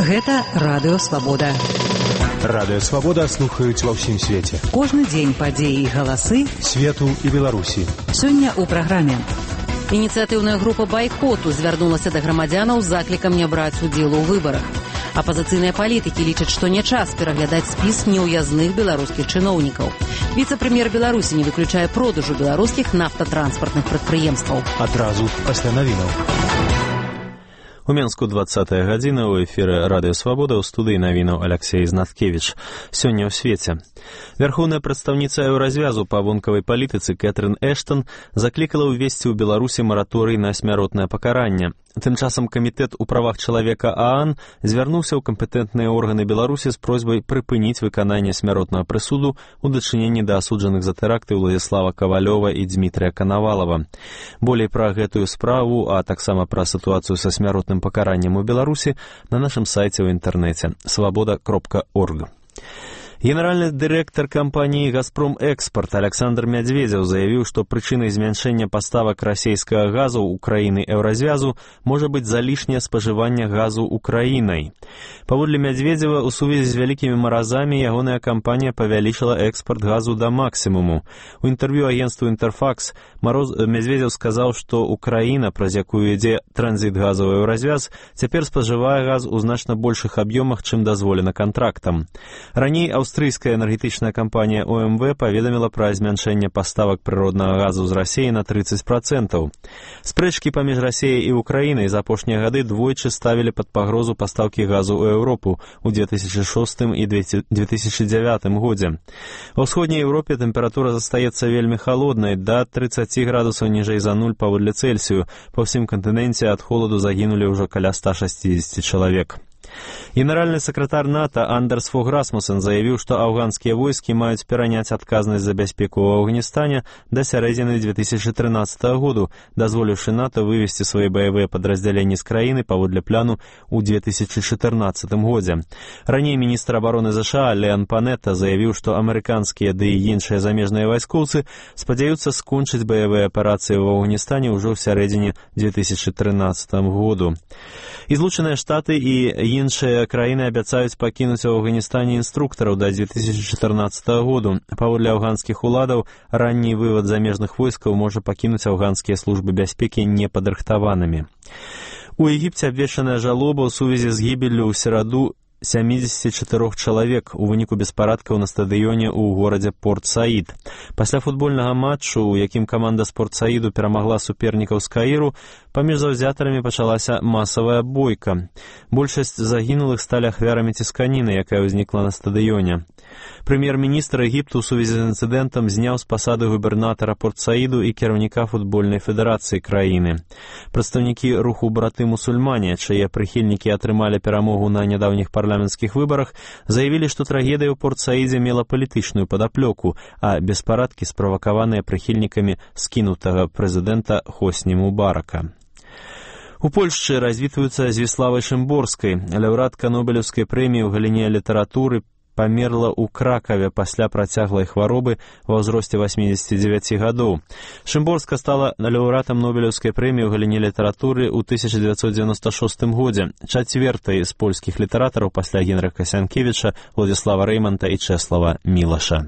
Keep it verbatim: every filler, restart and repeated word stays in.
Гэта Радыё Свабода. Радыё Свабода слухаюць ва ўсім свеце. Кожны дзень падзеі і галасы свету і Беларусі. Сёння ў праграме. Ініцыятыўная група байкоту звярнулася да грамадзянаў з заклікам не браць удзелу ў выбарах. Апазіцыйныя палітыкі лічаць, што не час пераглядаць спіс неўязных беларускіх чыноўнікаў. Віцэ-прэм'ер Беларусі не выключае продажу беларускіх нафтатранспартных прадпрыемстваў. Адразу пасля навінаў. У Менску двадцатая гадзіна, у эфіры Радыё Свабода, у студыі навінаў Аляксей Знаткевіч. Сёння ў свеце. Вярхоўная прадстаўніца еўразвязу па вонкавай палітыцы Кэтрын Эштон заклікала ўвесці ў Беларусі мараторый на смяротнае пакаранне. Тым часам камітэт у правах чалавека ААН звярнуўся ў кампетэнтныя органы Беларусі з просьбай прыпыніць выкананне смяротнага прысуду ў дачыненні да асуджаных за тэракты Уладзіслава Кавалёва і Дзмітрыя Канавалава. Болей пра гэтую справу, а таксама пра сітуацыю са смяротным пакараннем у Беларусі на нашым сайце ў інтэрнэце свабода кропка орг. Генеральны дырэктар кампаніі «Газпром Экспорт» Александр Мядзведзеў заявіў, што прычынай змяншэння паставак расійскага газу ў краіны еўразвязу можа быць залішняе спажыванне газу ўкраінай. Паводле Мядзведзева, у сувязі з вялікімі маразамі ягоная кампанія павялічыла экспорт газу да максімуму. У інтэрв'ю агенству «Інтэрфакс» Мядзведзеў сказаў, што Украіна, праз якую ідзе транзіт газу ў еўразвяз, цяпер спажывае газ у значна большых аб'ёмах, чым дазволена кантрактам. Раней аўстрыйская энергетычная кампанія О Эм Вэ паведаміла пра змяншэнне паставак прыроднага газу з Расіі на трыццаць процентаў. Спрэчкі паміж Расіяй і Украінай за апошнія гады двойчы ставілі пад пагрозу пастаўкі газу ў Еўропу ў две тысячы шостым і две тысячы дзявятым годзе. Ва ўсходняй Еўропе тэмпература застаецца вельмі халоднай, да трыццаці градусаў ніжэй за нуль паводле Цельсію. Па ўсім кантыненце ад холаду загінулі ўжо каля ста шасцідзесяці чалавек. Генеральны сакратар НАТО Андерс Фог Расмуссен заявіў, што афганскія войскі маюць пераняць адказнасць за бяспеку ў Афганістане да сярэдзіны две тысячы трынаццатага году, дазволіўшы НАТО вывесці свае баявыя падраздзяленні з краіны паводле пляну ў две тысячы чатырнаццатым годзе. Раней міністр абароны ЗША Леон Панетта заявіў, што амерыканскія ды і іншыя замежныя вайскоўцы спадзяюцца скончыць баявыя аперацыі ў Афганістане ўжо ў сярэдзіне две тысячы трынаццатага году. І Злучаныя Штаты і іншыя краіны абяцаюць пакінуць у Афганістане інструктараў да дзве тысячы чатырнаццатага году. Паводле афганскіх уладаў, ранні вывад замежных войскаў можа пакінуць афганскія службы бяспекі непадрыхтаванымі. У Егіпце абвешчаная жалоба ў сувязі з гібеллю ў сераду сямдзесят чатырох чалавек у выніку беспарадкаў на стадыёне ў горадзе Порт-Саід. Пасля футбольнага матчу, у якім каманда з Порт-Саіду перамагла супернікаў з Каіру, паміж заўзятарамі пачалася масавая бойка. Большасць загінулых сталі ахвярамі цісканіны, якая ўзнікла на стадыёне. Прэм'ер-міністр Егіпту ў сувязі з інцыдэнтам зняў з пасады губернатара Порт-Саіду і кіраўніка футбольнай федэрацыі краіны. Прадстаўнікі руху браты-мусульмане, чые прыхільнікі атрымалі перамогу на нядаўніх парламенцкіх выбарах, заявілі, што трагедыя ў Порт-Саідзе мела палітычную падаплёку, а беспарадкі справакаваныя прыхільнікамі скінутага прэзідэнта Хосні Мубарака. У Польшчы развітваюцца з Віславай Шымборскай. Лаўрэатка Нобелеўскай прэміі ў галіне літаратуры памерла ў Кракаве пасля працяглай хваробы ва ўзросце васьмідзесяці дзевяці гадоў. Шымборска стала лаўрэатам Нобелеўскай прэміі ў галіне літаратуры ў тысяча дзевяцьсот дзевяноста шостым годзе, чацвёртай з польскіх літаратараў пасля Генрыха Сянкевіча, Владзіслава Рэйманта і Чэслава Мілаша.